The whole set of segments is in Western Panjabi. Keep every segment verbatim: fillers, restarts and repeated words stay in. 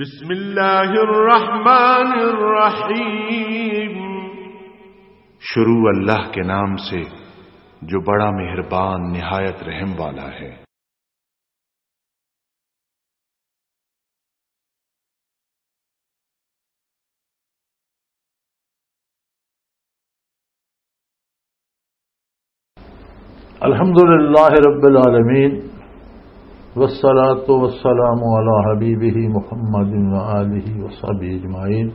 بسم اللہ الرحمن الرحیم۔ شروع اللہ کے نام سے جو بڑا مہربان نہایت رحم والا ہے۔ الحمد لله رب العالمين، والصلاة والسلام على حبيبه محمد وآله وصحبه أجمعين.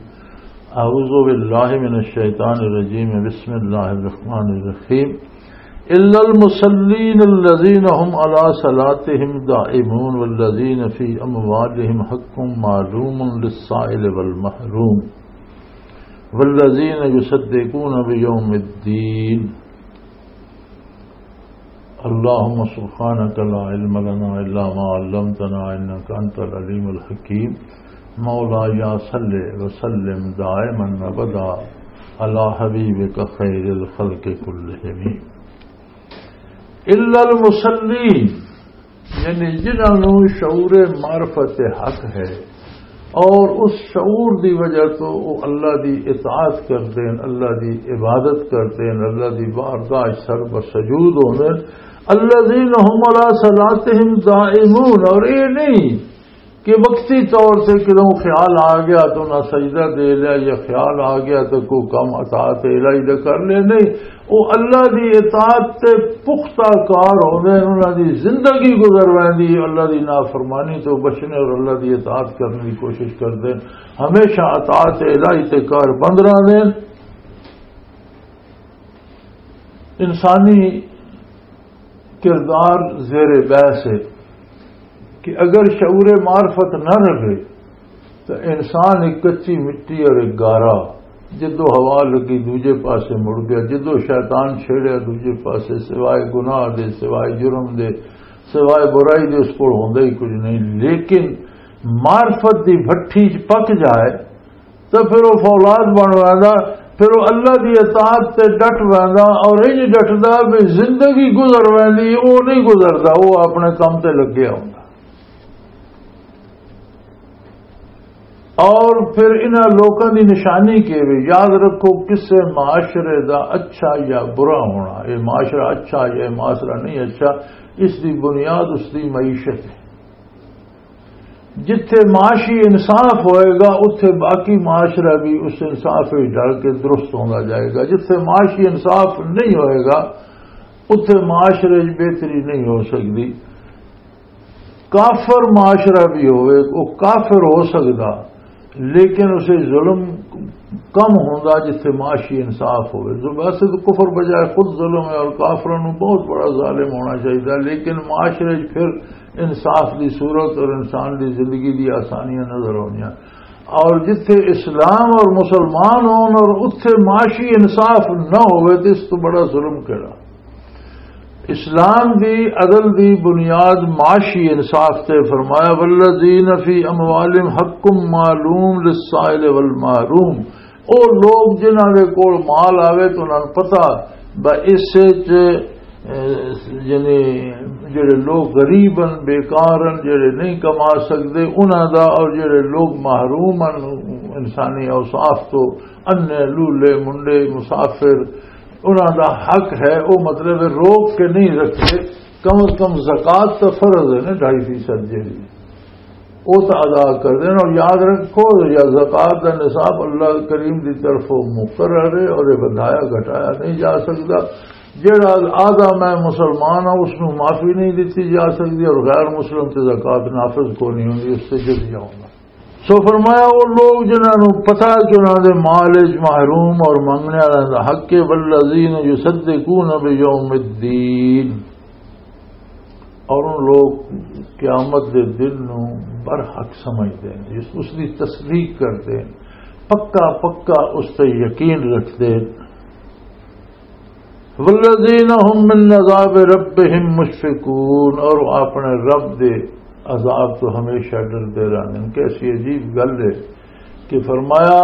أعوذ بالله من الشيطان الرجيم. بسم الله الرحمن الرحيم. إلا المصلين الذين هم على صلاتهم دائمون والذين في أموالهم حق معلوم للسائل والمحروم والذين يصدقون بيوم الدين. اللهم سبحانك لا علم لنا إلا ما علمتنا إنك أنت العليم الحكيم. مولاي صل وسلم دائما أبدا على حبيبك خير الخلق كلهم. إلا المصلين، یعنی جنہاں نوں شعور معرفت حق ہے اور اس شعور دی وجہ تو وہ اللہ دی اطاعت کردے ہیں، اللہ دی عبادت کردے ہیں، اللہ دی بارگاہ سر بسجود ہوندے ہیں۔ الذين هم على صلاتهم دائمون، اور یہ نہیں کہ وقتی طور سے کدوں خیال آ گیا تو نہ سجدہ دے لیا، یا خیال آ گیا تو کوئی کم اطاعت الہی دا کر لیا، نہیں، وہ اللہ دی اطاعت تے پختہ کار ہوندے ہیں، انہاں دی زندگی گزر ویندی ہے اللہ دی نافرمانی تو بچنے اور اللہ دی اطاعت کرنے کی کوشش کردے ہیں، ہمیشہ اطاعت الہی تے کار بند رہندے ہیں۔ انسانی کردار زیر بحث ہے کہ اگر شعور معرفت نہ رہے تو انسان ایک کچی مٹی اور ایک گارا، جدو ہوا لگی دوجے پاسے مڑ گیا، جدو شیطان چھیڑیا دوجے پاسے، سوائے گناہ دے، سوائے جرم دے، سوائے برائی دے اس کول ہوندا ہی کچھ نہیں۔ لیکن معرفت دی بھٹی چ پک جائے تو پھر وہ فولاد بن ویندا، پھر وہ اللہ دی اطاعت تے ڈٹ ویندا، اور انج ڈٹدا بھی زندگی گزر ویندی، وہ نہیں گزردا، وہ اپنے کم تے لگیا ہوندا۔ اور پھر انہاں لوکاں دی نشانی کی وی، یاد رکھو، کسے معاشرے دا اچھا یا برا ہونا، یہ معاشرہ اچھا یا یہ معاشرہ نہیں اچھا، اس دی بنیاد اس دی معیشت ہے۔ جتھے معاشی انصاف ہوئے گا، اتھے باقی معاشرہ بھی اس انصاف وچ ڈل کے درست ہوندا جائے گا۔ جتھے معاشی انصاف نہیں ہوئے گا، اتھے معاشرے وچ بہتری نہیں ہو سکدی۔ کافر معاشرہ بھی ہوئے، وہ کافر ہو سکدا، لیکن اسے ظلم کم ہوندا جتھے معاشی انصاف ہوئے۔ ویسے تو کفر بجائے خود ظلم ہے اور کافروں نوں بہت بڑا ظالم ہونا چاہیے، لیکن معاشرے وچ پھر انصاف دی صورت اور انسان دی زندگی دی آسانیاں نظر آونیاں۔ اور جتھے اسلام اور مسلمان ہون اور اتھے معاشی انصاف نہ ہوئے تو اس تو بڑا ظلم کیڑا؟ اسلام دی عدل دی بنیاد معاشی انصاف تے فرمایا، "والذین فی اموالہم حق معلوم للسائل والمحروم۔" او لوگ جنہاں دے کول مال آوے تو انہاں نوں پتہ بس اس وچ، اے، یعنی جڑے لوگ غریب ہن، بیکار ہن، جڑے نہیں کما سکدے، انہاں دا، اور جڑے لوگ محروم ہن انسانی اوصاف تو، انے، لولے، منڈے، مسافر، انہاں دا حق ہے، او مطلب ہے روک کے نہیں رکھتے، کم از کم زکوٰۃ تو فرض ہے نا، ڈھائی فیصد جیڑی، او تو ادا کر دین۔ اور یاد رکھو، یا زکوٰۃ دا نصاب اللہ کریم دی طرفوں مقرر ہے اور یہ ودھایا گھٹایا نہیں جا سکتا۔ جیڑا آدھا میں مسلمان ہاں، اس نوں معافی نہیں دتی جا سکتی، اور غیر مسلم تے زکوٰۃ نافذ کو نہیں ہوندی، اس تے جزیہ ہوندا۔ سو فرمایا، وہ لوگ جنہاں نوں پتہ ہے کہ انہاں دے مال وچ محروم اور منگنے والے دا حق ہے، والذین یصدقون بیوم الدین، اور ان لوگ قیامت دے دن نوں برحق سمجھدے ہیں، اس، اس دی تصدیق کردے ہیں، پکا پکا اس تے یقین رکھدے ہیں۔ والذین هم من عذاب ربهم مشفقون، اور وہ اپنے رب دے عذاب تو ہمیشہ ڈردے رہندے ہیں۔ کیسی عجیب گل ہے کہ فرمایا،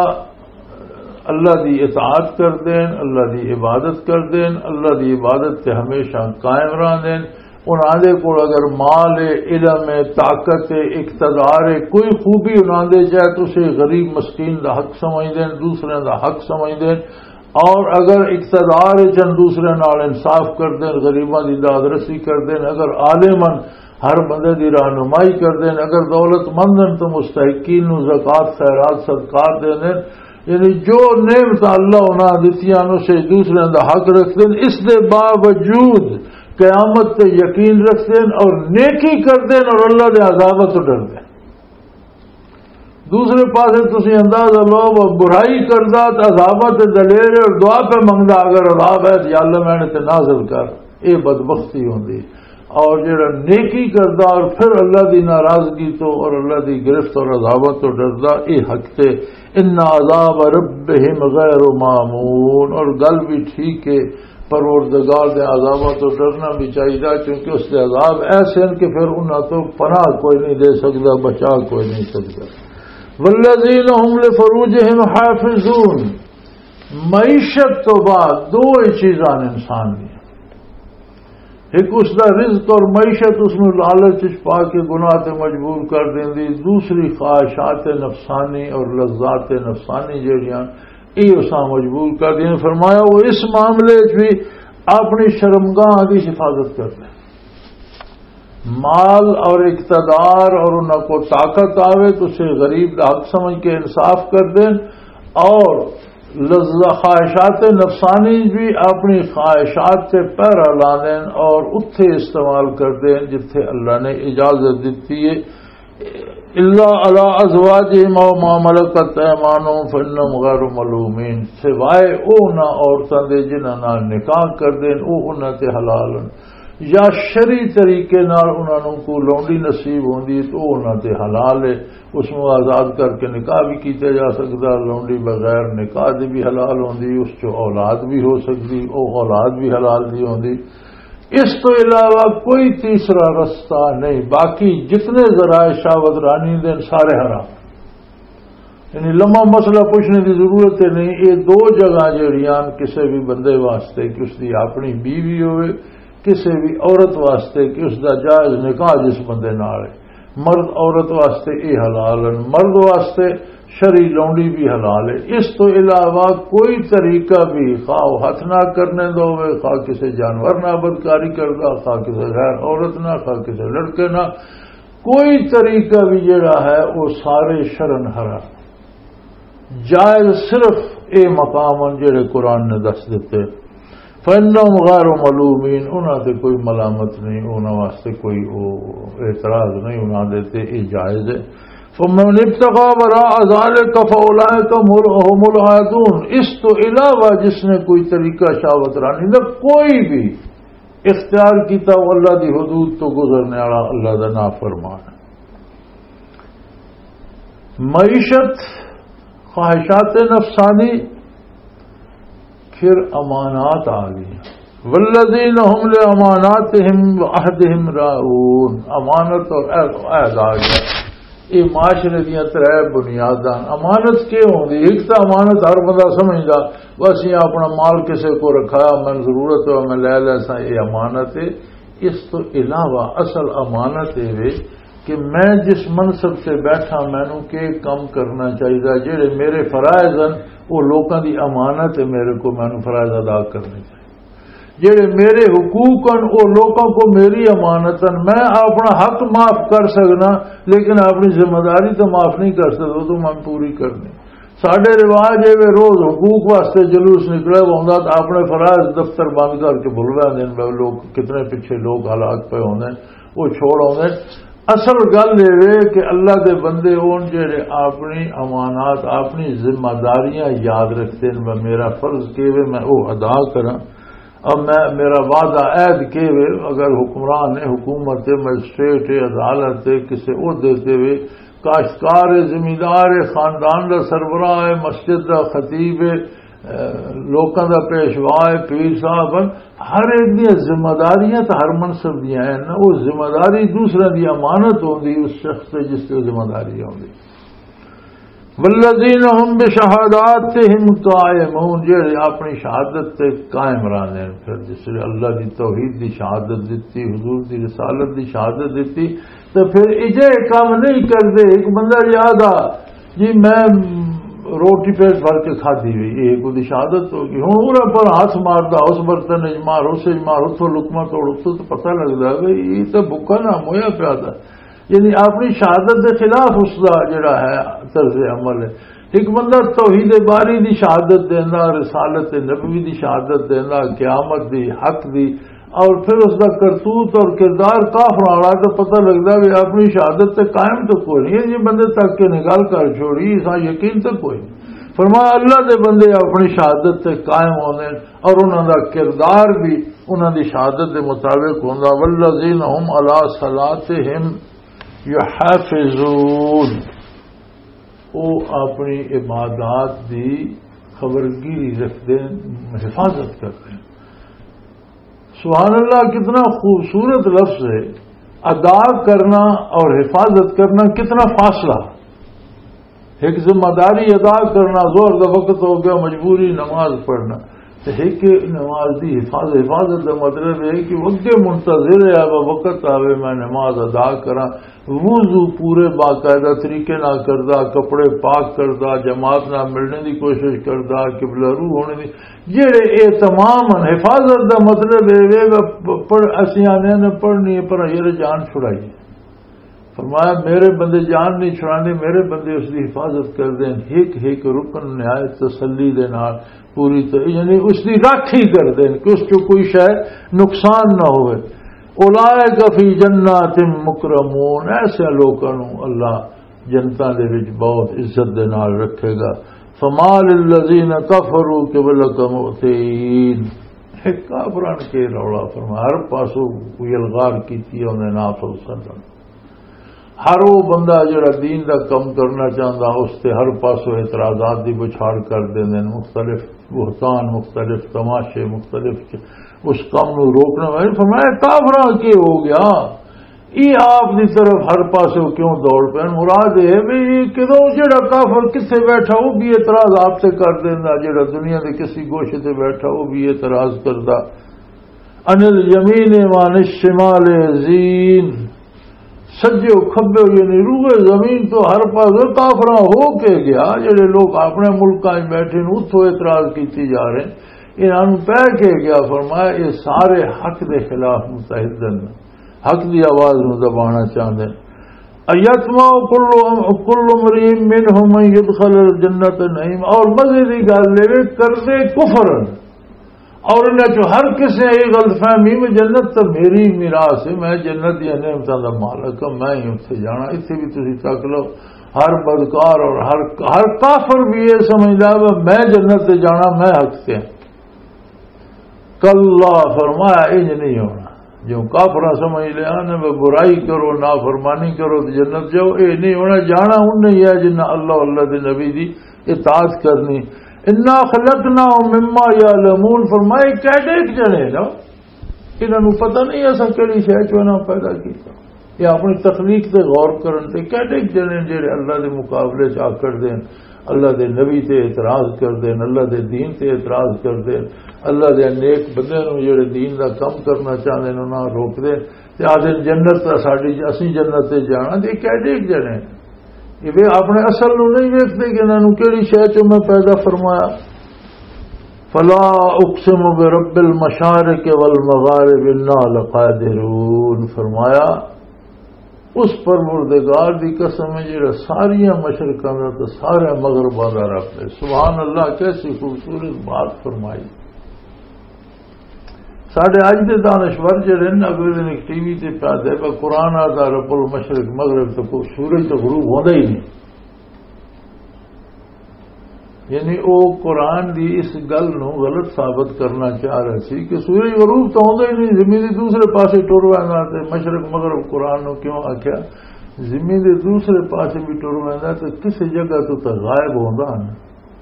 اللہ دی اطاعت کردے ہیں، اللہ دی عبادت کردے ہیں، اللہ دی عبادت تے ہمیشہ قائم رہندے ہیں، انہاں دے کول اگر مال ہے، علم ہے، طاقت ہے، اقتدار ہے، کوئی خوبی انہاں دے جائے تو اسے غریب مسکین دا حق سمجھ دین، دوسرے دا حق سمجھ دین۔ اور اگر اقتدار ہے چند دوسرے نال انصاف کر دین، غریباں دی داد رسی کر دین، اگر عالم ہن ہر بندے دی رہنمائی کر دین، اگر دولت مند ہن تو مستحقین نو زکوٰۃ، خیرات، صدقات دے دین، یعنی جو نعمت اللہ انہاں دتیاں نو سے دوسرے دا حق رکھ دین، اس دے باوجود قیامت تے یقین رکھ دین اور نیکی کر دین اور اللہ دے عذاب تو ڈر دین۔ دوسرے پاسے تسی اندازہ لو، وہ برائی کردا تے عذاباں تے دلیر ہے اور دعا پہ منگدا، اگر عذاب ہے تو یا اللہ میں نے تے نازل کر، اے بدبختی ہوندی۔ اور جڑا نیکی کردا اور پھر اللہ دی ناراضگی تو اور اللہ دی گرفت اور عذاباں تو ڈردا، اے حق تے ان عذاب ربہم غیر مامون۔ اور گل بھی ٹھیک ہے، پروردگار دے عذاباں تو ڈرنا بھی چاہیے، کیونکہ اس دے عذاب ایسے ہیں کہ پھر انہاں تو پناہ کوئی نہیں دے سکدا، بچا کوئی نہیں سکدا۔ والذین هم لفروجهم حافظون، معیشت تو بعد دو ہی چیزاں نے انسان دی، ایک اس دا رزق اور معیشت اس نو لالچ وچ پا کے گناہ تے مجبور کر دیندی، دوسری خواہشات نفسانی اور لذات نفسانی جڑیاں اے اساں مجبور کر دین۔ فرمایا وہ اس معاملے وچ بھی اپنی شرمگاہ دی حفاظت کر لے۔ مال اور اقتدار اور انہاں کو طاقت آوے تو اسے غریب دا حق سمجھ کے انصاف کر دین، اور لذ-، خواہشات نفسانی بھی اپنی خواہشات سے پہرا لا دین اور اتھے استعمال کر دین جتھے اللہ نے اجازت دیتی ہے۔ الا علی ازواجہم او ما ملکت ایمانہم فانہم غیر ملومین، سوائے او انہاں عورتاں دے جنہاں نال نکاح کر دین، او انہاں تے حلال ہن، یا شرعی طریقے نال انہاں نوں کوئی لونڈی نصیب ہوندی ہے تو او انہاں تے حلال ہے، اس نوں آزاد کر کے نکاح بھی کیتا جا سکدا، لونڈی بغیر نکاح دی بھی حلال ہوندی، اس چوں اولاد بھی ہو سکدی، او اولاد بھی حلال دی ہوندی۔ اس تو علاوہ کوئی تیسرا رستہ نہیں، باقی جتنے ذرائع شہوت رانی دے سارے حرام۔ یعنی لمبا مسئلہ پوچھنے دی ضرورت ہی نہیں۔ یہ دو جگہ جڑیاں کسے بھی بندے واسطے کہ اس دی اپنی بیوی ہوئے، کسے بھی عورت واسطے کہ اس دا جائز نکاح جس بندے نال ہے، مرد عورت واسطے یہ حلال ہیں، مرد واسطے شرعی لونڈی بھی حلال ہے۔ اس تو علاوہ کوئی طریقہ بھی، خواہ وہ ہاتھ نہ کرنے دا ہوئے، خواہ کسے جانور نہ بدکاری کردا، خواہ کسے غیر عورت نہ، خواہ کسے لڑکے نہ، کوئی طریقہ بھی جڑا ہے وہ سارے شرن حرام۔ جائز صرف اے مقام ہیں جڑے قرآن نے دس دیتے۔ فَإِنَّهُمْ غَيْرُ مَلُومِينَ، انہاں تے کوئی ملامت نہیں، انہاں واسطے کوئی او اعتراض نہیں، انہاں دے تے اے جائز ہے۔ فَمَنِ ابْتَغَى وَرَاءَ ذَلِكَ فَأُولَٰئِكَ هُمُ الْعَادُونَ، اس تو علاوہ جس نے کوئی طریقہ شہوت رانی دا کوئی بھی اختیار کیتا، وہ اللہ دی حدود تو گزرنے والا، اللہ دا نافرمان ہے۔ معیشت، خواہشات نفسانی، پھر امانات آ گئی۔ والذین هم لاماناتهم وعهدهم راعون، امانت اور عہد، عہد آ گیا۔ یہ معاشرے دیاں ترے بنیاداں۔ امانت کی ہوندی؟ ایک تو امانت ہر بندہ سمجھدا، بس یہ اپنا مال کسے کو رکھایا، میں ضرورت ہو میں لے لے سا، یہ امانت ہے۔ اس تو علاوہ اصل امانت یہ وے کہ میں جس منصب سے بیٹھا، مینوں کی کم کرنا چاہیے، جڑے میرے فرائض ہیں، وہ لوکاں دی امانت ہے، میرے کو مینوں فرائض ادا کرنے چاہیے۔ جڑے میرے حقوق ہیں، وہ لوکاں کو میری امانت ہیں۔ میں اپنا حق معاف کر سکنا، لیکن اپنی ذمہ داری تو معاف نہیں کر سکتا، وہ تو میں پوری کرنی۔ ساڈے رواج اے وے، روز حقوق واسطے جلوس نکلے ہوندا تے اپنے فرائض دفتر بند کر کے بھل ویندے نے۔ لوگ کتنے پیچھے لوگ حالات پے ہوندے نے، وہ چھوڑ آوندے نے۔ اصل گل اے وے کہ اللہ دے بندے ہون جڑے اپنی امانات، اپنی ذمہ داریاں یاد رکھتے ہیں، میں میرا فرض کیوے میں وہ ادا کراں۔ اب میں، میرا وعدہ عہد کیوے، اگر حکمران ہے، حکومت ہے، مجسٹریٹ ہے، عدالت ہے، کسے عہدے تے وے، کاشتکار ہے، زمیندار ہے، خاندان دا سربراہ ہے، مسجد دا خطیب ہے، اے، لوکاں دا پیشوا ہے، پیر صاحب ہیں، ہر ایک دی ذمہ داریاں تے ہر منصب دیاں ہیں نا، وہ ذمہ داری دوسرے دی امانت ہوندی اس شخص تے جس تے ذمہ داری ہوندی۔ والذین هم بشهاداتهم قائمون، جڑے اپنی شہادت تے قائم رہندے ہیں۔ پھر جس نے اللہ دی توحید دی شہادت دتی، حضور دی رسالت دی شہادت دتی، تو پھر اجے کام نہیں کردے۔ ایک بندہ یاد آ جی، میں روٹی پیٹ بھر کے کھادی ہوئی، یہ کوئی شہادت ہو گئی۔ ہن اوہدے پر ہاتھ ماردا، اس برتن وچ مار، اس وچ مار، اتھوں لقمہ توڑ، اتھوں تو پتہ لگدا ہے بھئی یہ تو بھکا نہ مویا پیا دا۔ یعنی اپنی شہادت دے خلاف اس دا جڑا ہے طرز عمل ہے۔ ایک بندہ توحید باری دی شہادت دیندا، رسالت نبوی دی شہادت دیندا، قیامت دی، حق دی، اور پھر اس دا کرتوت اور کردار کافر والا، تو پتہ لگدا بھی اپنی شہادت تے قائم تو کوئی نہیں۔ یہ بندے تک کے نگال کر چھوڑی، اس یقین تو کوئی نہیں۔ فرمایا اللہ دے بندے اپنی شہادت تے قائم ہوندے نے اور انہاں دا کردار بھی انہاں دی شہادت دے مطابق ہوندا۔ والذین هم علی صلاتهم یحافظون، وہ اپنی عبادات دی خبرگیری رکھتے ہیں، حفاظت کرتے ہیں۔ سبحان اللہ، کتنا خوبصورت لفظ ہے۔ ادا کرنا اور حفاظت کرنا کتنا فاصلہ۔ ایک ذمہ داری ادا کرنا، ظہر دا وقت ہو گیا، مجبوری نماز پڑھنا، تے ایک نماز دی حفاظت۔ حفاظت دا مطلب ہے کہ وہ اگے منتظر ہے، اب وقت آوے، میں نماز ادا کراں۔ وضو پورے باقاعدہ طریقے نال کردا، کپڑے پاک کردا، جماعت نال ملنے دی کوشش کردا، قبلہ رو ہونے دی، جڑے اے تمام ہن۔ حفاظت دا مطلب اے وے، پ-، پڑھ-، اسیں آنے نے پڑھنی ہے، پر یہ جان چھڑائی۔ فرمایا، میرے بندے جان نہیں چھڑانے، میرے بندے اس دی حفاظت کر دیں، ایک ایک رکن نہایت تسلی دے نال پوری ط-، یعنی اس دی راکھی کر دیں کہ اس چوں کوئی شے نقصان نہ ہوئے۔ اولئک فی جنات مکرمون، ایسے لوکاں نوں اللہ جنتاں دے وچ بہت عزت دے نال رکھے گا۔ فما للذین کفروا قبلک مؤتین۔ کافراں کے رولا فرمایا، ہر پاسوں کوئی الغار کیتی ہے انہیں نافذ سدن۔ ہر وہ بندہ جڑا دین دا کم کرنا چاہندا، اس تے ہر پاسوں اعتراضات دی بچھاڑ کر دیندے نے، مختلف بہتان، مختلف تماشے، مختلف چ-، اس کم نو روکنا۔ میں فرمایا، کافراں کی ہو گیا؟ یہ آپ دی طرف ہر پاسوں کیوں دوڑ پے؟ مراد یہ ہے بھی یہ کدوں جڑا کافر کتھے بیٹھا، وہ بھی اعتراض آپ تے کر دیندا، جڑا دنیا دے کسی گوشے تے بیٹھا، وہ بھی اعتراض کردا۔ عن الیمین وعن الشمال عزین، سجے و کھبے، یعنی روئے زمین تو ہر پاسے کافراں ہو کے گیا۔ جڑے لوگ اپنے ملکاں وچ بیٹھے نے، اتھوں اعتراض کیتی جا رہے ہیں، انہاں نوں پہ کے گیا۔ فرمایا، یہ سارے حق دے خلاف متحد ہیں، حق دی آواز نوں دبانا چاہندے ہیں۔ ایطمع کل، کل امرئ منهم ان یدخل الجنۃ نعیم۔ اور مزے دی گل اے، کردے کفر اور انہاں چوں ہر کسے یہ غلط فہمی میں جنت تو میری میراث ہے، میں جنت دی نعمتاں دا مالک ہاں، میں ہی اتھے جانا۔ اتھے بھی تسی تک لو، ہر بدکار اور ہر، ہر کافر بھی یہ سمجھدا ہے میں جنت تے جانا، میں حق تے ہاں۔ کلا، فرمایا انج نہیں ہونا۔ جو کافراں سمجھ لیا نا، وہ برائی کرو، نافرمانی کرو تو جنت جاؤ، یہ نہیں ہونا۔ جانا ان نہیں ہے جنہ اللہ، اللہ دے نبی دی اطاعت کرنی۔ انا خلقناہم مما یعلمون، فرمائے کیڈے ایک جنے نا، انہاں نوں پتہ نہیں اساں کیڑی شے چوں انہاں پیدا کیتا۔ یہ اپنی تخلیق تے غور کرن تے کیڈے ایک جنے جڑے اللہ دے مقابلے چ آکڑ دین، اللہ دے نبی تے اعتراض کر دین، اللہ دے دین تے اعتراض کر دین، اللہ دے نیک بندے نوں جڑے دین دا کم کرنا چاہندے نے انہاں روک دین تے آدھے جنت دا ساڈی، اسی جنت تے جانا۔ تے کیڈے ایک جنے یہ وے اپنے اصل نوں نہیں ویکھدے کہ انہاں نوں کیڑی شے چوں میں پیدا فرمایا۔ فلا اقسم برب المشارق والمغارب انا لقادرون، فرمایا اس پروردگار دی قسم ہے جڑا ساریاں مشرقاں دا تے سارے مغرباں دا رب ہے۔ سبحان اللہ، کیسی خوبصورت بات فرمائی۔ ساڈے اج دے دانشور جڑے نے، اگلے دن ایک ٹی وی تے پیا دے، پر قرآن آتا رب المشرق مغرب، تو کوئی سورج تو غروب ہوندا ہی نہیں۔ یعنی او قرآن دی اس گل نو غلط ثابت کرنا چاہ رہے سی کہ سورج غروب تو ہوندا ہی نہیں، زمین دے دوسرے پاسے ٹر ویندا تے مشرق مغرب قرآن نو کیوں آکھیا؟ زمین دے دوسرے پاسے بھی ٹر ویندا تے کسی جگہ تو تے غائب ہوندا نا،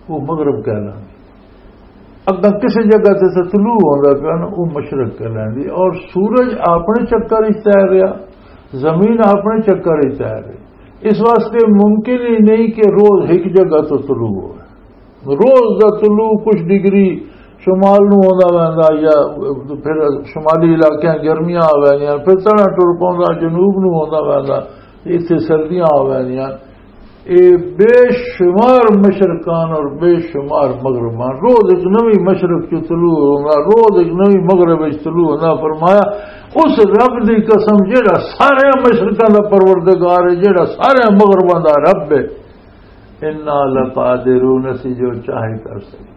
وہ مغرب کہلاندی۔ اگاں کسی جگہ تے تے طلوع ہوندا پیا نا، وہ مشرق کہلاندی۔ اور سورج اپنے چکر وچ تیر رہیا، زمین اپنے چکر وچ تیر رہی۔ اس واسطے ممکن ہی نہیں کہ روز ایک جگہ تو طلوع ہو۔ روز دا طلوع کچھ ڈگری شمال نو ہوندا ویندا، یا پھر شمالی علاقیاں گرمیاں آ ویندیاں، پھر تڑا ٹر پوندا جنوب نو ہوندا ویندا، اتھے سردیاں آ ویندیاں۔ اے بے شمار مشرقان اور بے شمار مغربان، روز ایک نوی مشرق چ طلوع ہوندا، روز ایک نوی مغرب وچ طلوع ہوندا۔ فرمایا، اس رب دی قسم جیڑا سارے مشرقاں دا پروردگار ہے، جیڑا سارے مغرباں دا رب ہے، انا لقادرون، اسی جو چاہے کر سکتے۔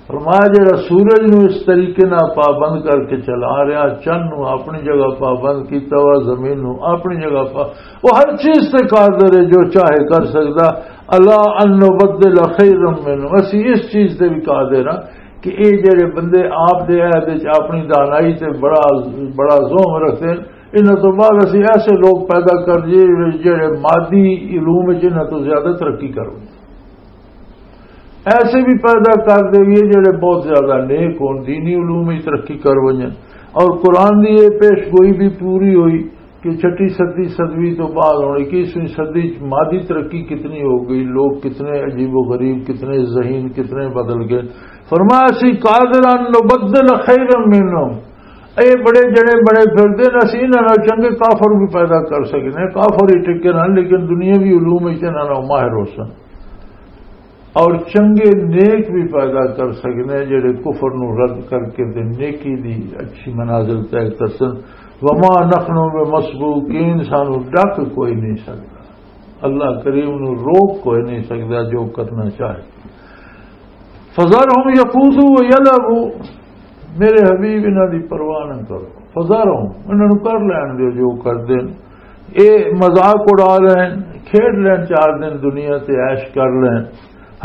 فرمایا، جڑا سورج نو اس طریقے نال پابند کر کے چلا رہا، چن نو اپنی جگہ پابند کیتا ہوا، زمین نو اپنی جگہ پا، وہ ہر چیز تے قادر ہے، جو چاہے کر سکدا۔ الا ان نبدل خیرا منه، اسی اس چیز تے بھی قادر ہاں کہ اے جڑے بندے آپ دے عہد وچ اپنی دانائی تے بڑا، بڑا زوم رکھتے ہیں، انہاں تو بعد اسی ایسے لوگ پیدا کر دیے جڑے مادی علوم وچ انہاں تو زیادہ ترقی کرن۔ ایسے بھی پیدا کر دیئے جڑے بہت زیادہ نیک ہون، دینی علوم وچ ترقی کر ونجن۔ اور قرآن دی یہ پیش گوئی بھی پوری ہوئی کہ چھٹی صدی، صدوی تو بعد ہن اکیسویں صدی چ مادی ترقی کتنی ہو گئی، لوگ کتنے عجیب و غریب، کتنے ذہین، کتنے بدل گئے۔ فرمایا، اسی قادر ان نبدل خیرا منهم، اے بڑے جڑے بڑے پھردے نے، اسی انہاں نال چنگے کافر بھی پیدا کر سکنے۔ کافر ہی ٹکے رہن، لیکن دنیاوی علوم وچ انہاں نال ماہر ہو سن۔ اور چنگے نیک بھی پیدا کر سکنے، جڑے کفر نو رد کر کے تے نیکی دی اچھی منازل طے کر سن۔ وما نحن بمسبوقین، سانو ڈک کوئی نہیں سکدا، اللہ کریم نو روک کوئی نہیں سکدا جو کرنا چاہے۔ فذرهم یخوضوا ویلعبوا، میرے حبیب، انہاں دی پرواہ نہ کرو۔ فذرهم، انہاں نوں کر لین دیو جو کر دین۔ اے مذاق اڑا لین، کھیڈ لین، چار دن دنیا تے عیش کر لین۔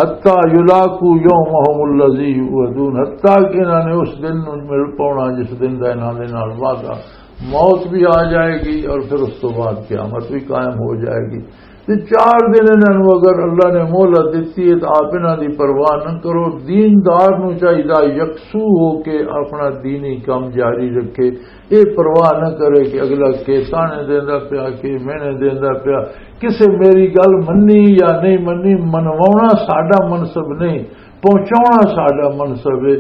حتی یلاقوا یومهم الذی یوعدون، حتی کہ انہاں نے اس دن نوں مل پاونا جس دن دا انہاں دے نال وعدہ۔ موت بھی آ جائے گی اور پھر اس تو بعد قیامت بھی قائم ہو جائے گی۔ تے چار دن انہاں نوں اگر اللہ نے مہلت دتی ہے تو آپ انہاں دی پرواہ نہ کرو۔ دیندار نوں چاہیدا یکسو ہو کے اپنا دینی کام جاری رکھے، اے پرواہ نہ کرے کہ اگلا کے تانے دیندا پیا، کے مینے دیندا پیا، کسے میری گل منی یا نہیں منی، منواونا ساڈا منصب نہیں، پہنچاونا ساڈا منصب ہے۔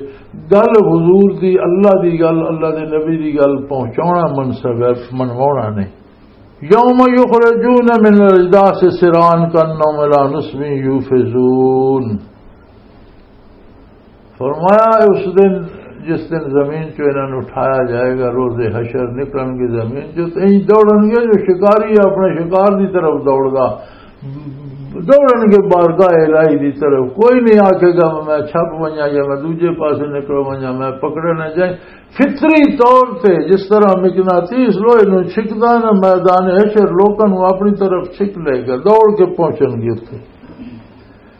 گل حضور دی، اللہ دی گل، اللہ دے نبی دی گل پہنچاونا منصب ہے، منواونا نہیں۔ یوم یخرجون من الاجداث سرعا کانہم الی نصب یوفضون۔ فرمایا، اس دن، جس دن زمین چوں انہاں نوں اٹھایا جائے گا، روز حشر، نکلن گے زمین چوں، تے انج دوڑن گے جو شکاری اپنے شکار دی طرف دوڑدا، دوڑن گے بارگاہ الہی دی طرف۔ کوئی نہیں آکھے گا، "میں چھپ ونجاں یا میں دوجے پاسے نکل ونجاں، میں پکڑے نہ جائیں۔" فطری طور تے جس طرح مقناطیس لوہے نوں چھکدا نا، میدان حشر لوکاں نوں اپنی طرف چھک لے گا، دوڑ کے پہنچن گے اتھے۔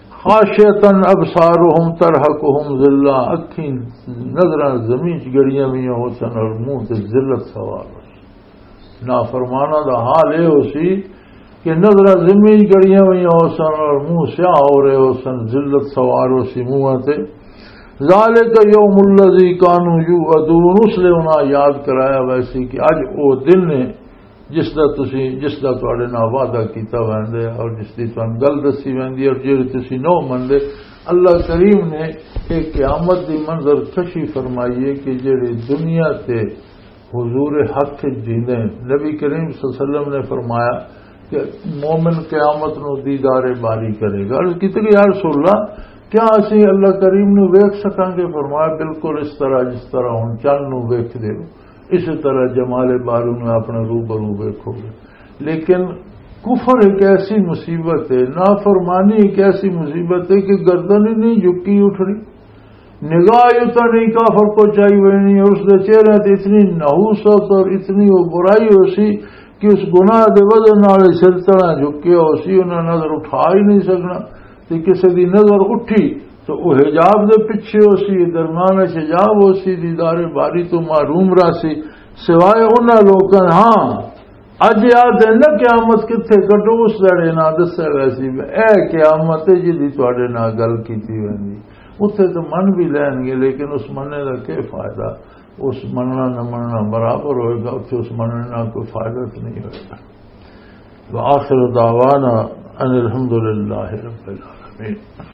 خاشعة ابصارهم ترهقهم ذلة، اکھیں نظراں زمین چ گڑیاں ہوئیاں ہو سن اور منہ تے ذلت سوار ہو سن۔ نافرماناں دا حال اے ہو سی کہ نظراں زمین چ گڑیاں ہوئیاں ہو سن اور منہ سیاہ ہو رہے ہو سن، ذلت سوار ہو سی منہ تے۔ ذالک یوم الذی کانوا یوعدون، اس لیے انہاں یاد کرایا ویسی کہ اج او دن ہے جس دا تسی، جس دا تواڈے نال وعدہ کیتا ویندا ہے اور جس دی تانوں گل دسی ویندی ہے اور جیڑی تسی نہ مندے۔ اللہ کریم نے ایک قیامت دی منظر کشی فرمائی ہے کہ جیڑے دنیا تے حضور حق وچ جیندے ہیں۔ نبی کریم صلی اللہ علیہ وسلم نے فرمایا کہ مومن قیامت نو دیدار باری کرے گا۔ عرض کیتے کہ یا رسول اللہ، کیا اسی اللہ کریم نو ویکھ سکاں گے؟ فرمایا، بالکل اس طرح جس طرح ہن چن نو ویکھدے ہو، اسی طرح جمال باری نو اپنے روبرو ویکھو گے۔ لیکن کفر ایک ایسی مصیبت ہے، نافرمانی ایک ایسی مصیبت ہے کہ گردن ہی نہیں جھکی اٹھنی۔ نگاہ اتنا نہیں کافر کو چاہیے نہیں، اور اس دے چہرے تے اتنی نحوست اور اتنی وہ برائی ہو سی کہ اس گناہ دے وزن نال سر تڑا جھکیا ہو سی، انہاں نظر اٹھا ہی نہیں سکنا۔ تے کسے دی نظر اٹھی تو وہ حجاب دے پیچھے ہو سی، درمیان وچ حجاب ہو سی، دیدار باری تو محروم رہ سی، سوائے انہاں لوکاں۔ ہاں، اج آ دن نہ قیامت کتھے کڈو، اس دڑے نہ دسے ویسی، اے قیامت ہے جدی تواڈے نال گل کیتی ویندی۔ اتھے تو من بھی لین گے، لیکن اس مننے دا کی فائدہ؟ اس مننا نہ مننا برابر ہوئے گا، اتھے اس مننے نال کوئی فائدہ تو نہیں ہوئے گا۔ وآخر دعوانا ان الحمد للہ رب العالمین۔